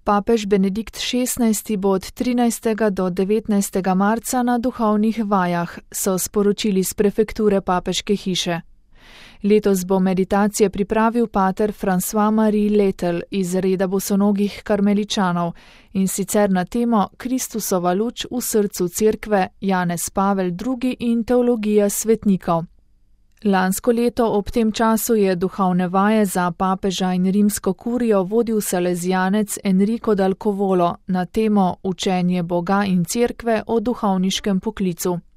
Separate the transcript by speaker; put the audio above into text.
Speaker 1: Papež Benedikt XVI bo od 13. do 19. marca na duhovnih vajah, so sporočili z prefekture papeške hiše. Letos bo meditacije pripravil pater François-Marie Letel iz reda bosonogih karmeličanov, in sicer na temo Kristusova luč v srcu cerkve, Janez Pavel II. In teologija svetnikov. Lansko leto ob tem času je duhovne vaje za papeža in rimsko kurijo vodil salezijanec Enrico dal Covolo na temo Učenje Boga in cerkve o duhovniškem poklicu.